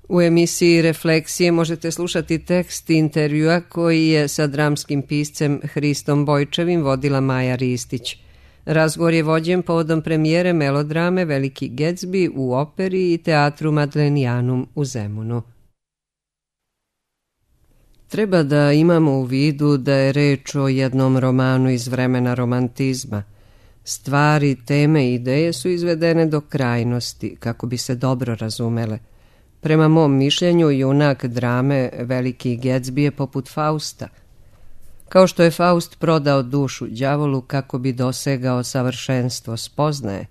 U emisiji Refleksije možete slušati tekst intervjua koji je sa dramskim piscem Hristom Bojčevim vodila Maja Ristić. Razgovor je vođen povodom premijere melodrame Veliki Gatsby u operi i teatru Madlenijanum u Zemunu. Treba da imamo u vidu da je reč o jednom romanu iz vremena romantizma. Stvari, teme i ideje su izvedene do krajnosti kako bi se dobro razumele. Prema mom mišljenju, junak drame Veliki Gatsby je poput Fausta. Kao što je Faust prodao dušu đavolu kako bi dosegao savršenstvo spoznaje,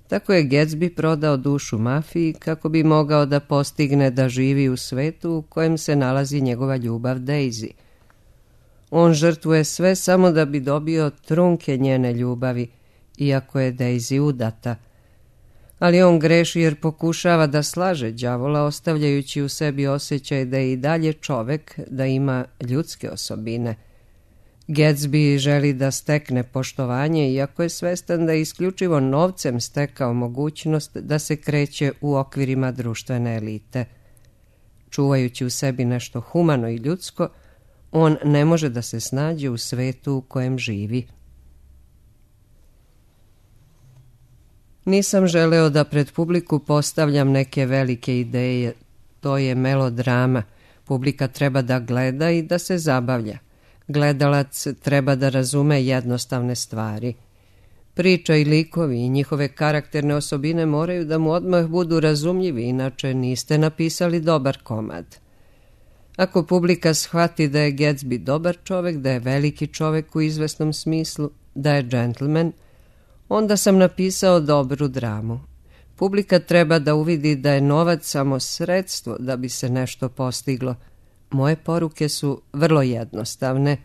tako je Gatsby prodao dušu mafiji kako bi mogao da postigne da živi u svetu u kojem se nalazi njegova ljubav Daisy. On žrtvuje sve samo da bi dobio trunke njene ljubavi, iako je Daisy udata. Ali on greši jer pokušava da slaže đavola, ostavljajući u sebi osjećaj da je i dalje čovek, da ima ljudske osobine. Gatsby želi da stekne poštovanje, iako je svestan da je isključivo novcem stekao mogućnost da se kreće u okvirima društvene elite. Čuvajući u sebi nešto humano i ljudsko, on ne može da se snađe u svetu u kojem živi. Nisam želeo da pred publiku postavljam neke velike ideje. To je melodrama. Publika treba da gleda i da se zabavlja. Gledalac treba da razume jednostavne stvari. Priča i likovi i njihove karakterne osobine moraju da mu odmah budu razumljivi, inače niste napisali dobar komad. Ako publika shvati da je Gatsby dobar čovek, da je veliki čovek u izvesnom smislu, da je džentlmen, onda sam napisao dobru dramu. Publika treba da uvidi da je novac samo sredstvo da bi se nešto postiglo. Moje poruke su vrlo jednostavne.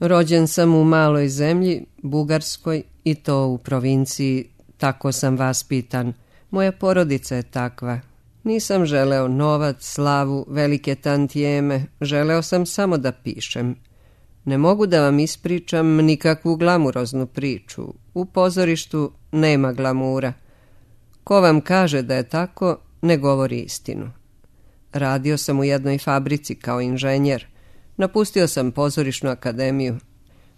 Rođen sam u maloj zemlji, Bugarskoj, i to u provinciji, tako sam vaspitan. Moja porodica je takva. Nisam želeo novac, slavu, velike tantijeme, želeo sam samo da pišem. Ne mogu da vam ispričam nikakvu glamuroznu priču. U pozorištu nema glamura. Ko vam kaže da je tako, ne govori istinu. Radio sam u jednoj fabrici kao inženjer. Napustio sam pozorišnu akademiju.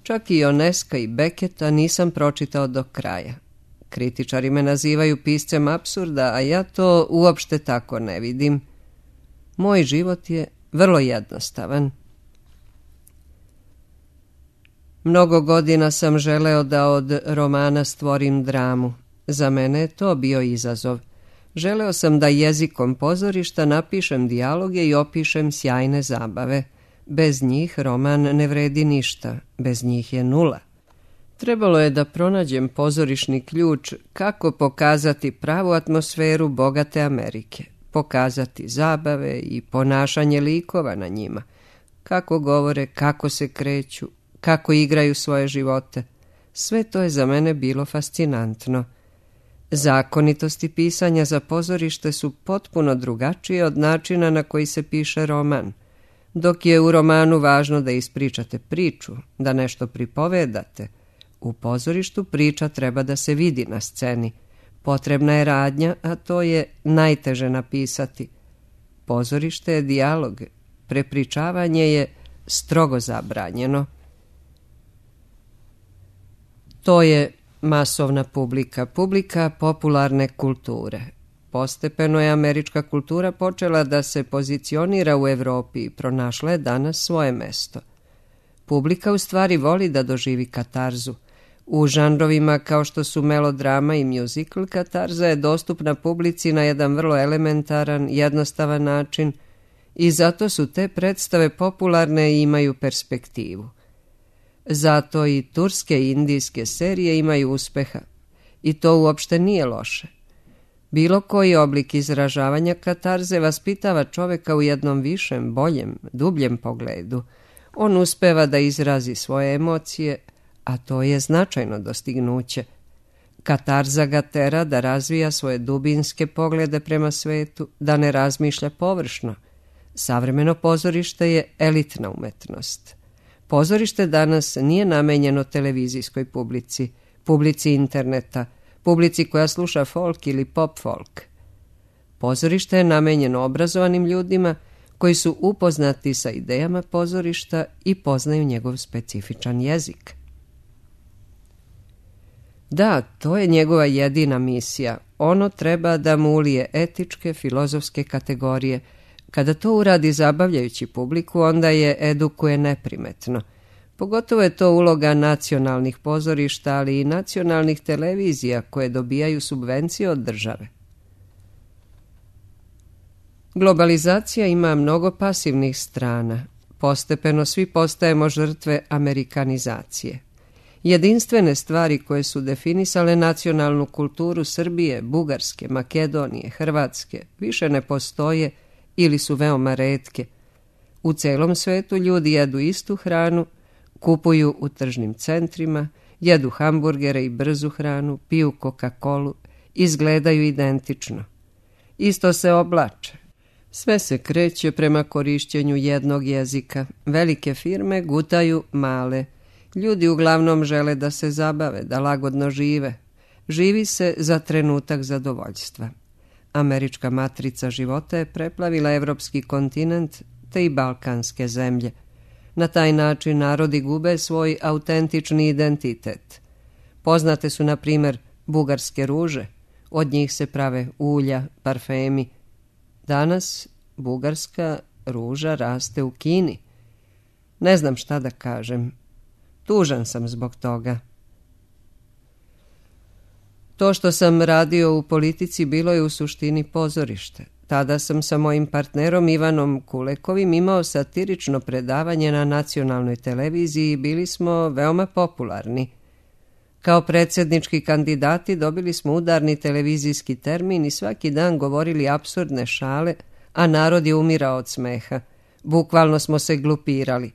Čak i Ionesca i Becketa nisam pročitao do kraja. Kritičari me nazivaju piscem apsurda, a ja to uopšte tako ne vidim. Moj život je vrlo jednostavan. Mnogo godina sam želeo da od romana stvorim dramu. Za mene je to bio izazov. Želeo sam da jezikom pozorišta napišem dijaloge i opišem sjajne zabave. Bez njih roman ne vredi ništa, bez njih je nula. Trebalo je da pronađem pozorišni ključ kako pokazati pravu atmosferu bogate Amerike, pokazati zabave i ponašanje likova na njima, kako govore, kako se kreću, kako igraju svoje živote. Sve to je za mene bilo fascinantno. Zakonitosti pisanja za pozorište su potpuno drugačije od načina na koji se piše roman. Dok je u romanu važno da ispričate priču, da nešto pripovedate, u pozorištu priča treba da se vidi na sceni. Potrebna je radnja, a to je najteže napisati. Pozorište je dijalog, prepričavanje je strogo zabranjeno. To je masovna publika, publika popularne kulture. Postepeno je američka kultura počela da se pozicionira u Evropi i pronašla je danas svoje mesto. Publika u stvari voli da doživi katarzu. U žanrovima kao što su melodrama i muzikl, katarza je dostupna publici na jedan vrlo elementaran, jednostavan način i zato su te predstave popularne i imaju perspektivu. Zato i turske i indijske serije imaju uspeha i to uopšte nije loše. Bilo koji oblik izražavanja katarze vaspitava čoveka u jednom višem, boljem, dubljem pogledu. On uspeva da izrazi svoje emocije, a to je značajno dostignuće. Katarza ga tera da razvija svoje dubinske poglede prema svetu, da ne razmišlja površno. Savremeno pozorište je elitna umetnost. Pozorište danas nije namenjeno televizijskoj publici, publici interneta, publici koja sluša folk ili pop folk. Pozorište je namenjeno obrazovanim ljudima koji su upoznati sa idejama pozorišta i poznaju njegov specifičan jezik. Da, to je njegova jedina misija. Ono treba da mu ulije etičke, filozofske kategorije. Kada to uradi zabavljajući publiku, onda je edukuje neprimetno. Pogotovo je to uloga nacionalnih pozorišta, ali i nacionalnih televizija koje dobijaju subvencije od države. Globalizacija ima mnogo pasivnih strana. Postepeno svi postajemo žrtve amerikanizacije. Jedinstvene stvari koje su definisale nacionalnu kulturu Srbije, Bugarske, Makedonije, Hrvatske više ne postoje ili su veoma retke. U celom svetu ljudi jedu istu hranu, kupuju u tržnim centrima, jedu hamburgere i brzu hranu, piju Coca-Colu, izgledaju identično. Isto se oblače. Sve se kreće prema korišćenju jednog jezika. Velike firme gutaju male. Ljudi uglavnom žele da se zabave, da lagodno žive. Živi se za trenutak zadovoljstva. Američka matrica života je preplavila evropski kontinent te i balkanske zemlje. Na taj način narodi gube svoj autentični identitet. Poznate su, na primjer, bugarske ruže. Od njih se prave ulja, parfemi. Danas bugarska ruža raste u Kini. Ne znam šta da kažem. Tužan sam zbog toga. To što sam radio u politici bilo je u suštini pozorište. Tada sam sa mojim partnerom Ivanom Kulekovim imao satirično predavanje na nacionalnoj televiziji i bili smo veoma popularni. Kao predsjednički kandidati dobili smo udarni televizijski termin i svaki dan govorili apsurdne šale, a narod je umirao od smeha. Bukvalno smo se glupirali.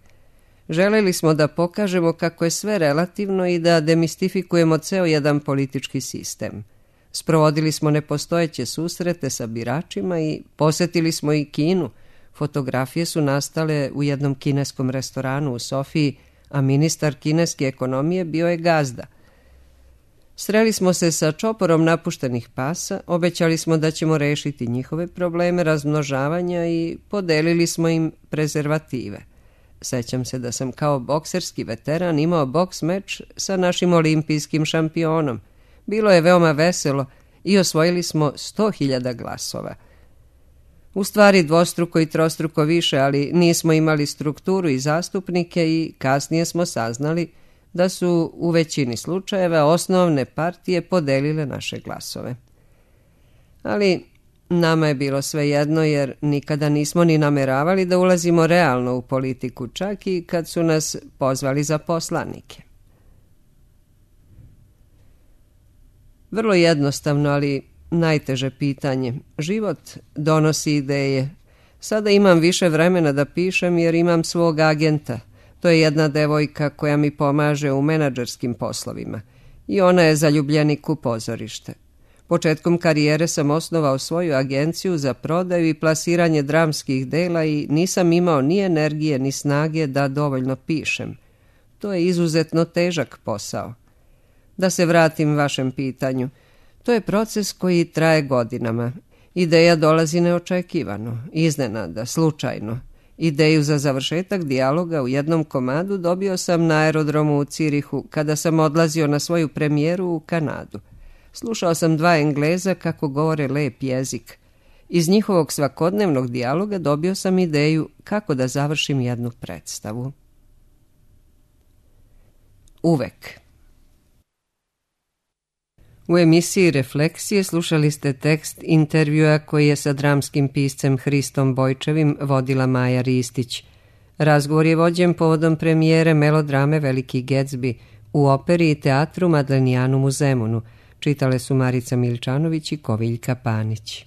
Želeli smo da pokažemo kako je sve relativno i da demistifikujemo ceo jedan politički sistem. Sprovodili smo nepostojeće susrete sa biračima i posjetili smo i Kinu. Fotografije su nastale u jednom kineskom restoranu u Sofiji, a ministar kineske ekonomije bio je gazda. Sreli smo se sa čoporom napuštenih pasa, obećali smo da ćemo rešiti njihove probleme razmnožavanja i podelili smo im prezervative. Sećam se da sam kao bokserski veteran imao boks meč sa našim olimpijskim šampionom. Bilo je veoma veselo i osvojili smo 100.000 glasova. U stvari dvostruko i trostruko više, ali nismo imali strukturu i zastupnike i kasnije smo saznali da su u većini slučajeva osnovne partije podelile naše glasove. Ali nama je bilo svejedno jer nikada nismo ni nameravali da ulazimo realno u politiku, čak i kad su nas pozvali za poslanike. Vrlo jednostavno, ali najteže pitanje. Život donosi ideje. Sada imam više vremena da pišem jer imam svog agenta. To je jedna devojka koja mi pomaže u menadžerskim poslovima i ona je zaljubljenik u pozorište. Početkom karijere sam osnovao svoju agenciju za prodaju i plasiranje dramskih dela i nisam imao ni energije ni snage da dovoljno pišem. To je izuzetno težak posao. Da se vratim vašem pitanju, to je proces koji traje godinama. Ideja dolazi neočekivano, iznenada, slučajno. Ideju za završetak dijaloga u jednom komadu dobio sam na aerodromu u Cirihu kada sam odlazio na svoju premijeru u Kanadu. Slušao sam dva Engleza kako govore lep jezik. Iz njihovog svakodnevnog dijaloga dobio sam ideju kako da završim jednu predstavu. Uvek. U emisiji Refleksije slušali ste tekst intervjua koji je sa dramskim piscem Hristom Bojčevim vodila Maja Ristić. Razgovor je vođen povodom premijere melodrame Veliki Gatsby u operi i teatru Madlenijanum u Zemunu. Čitale su Marica Miličanović i Koviljka Panić.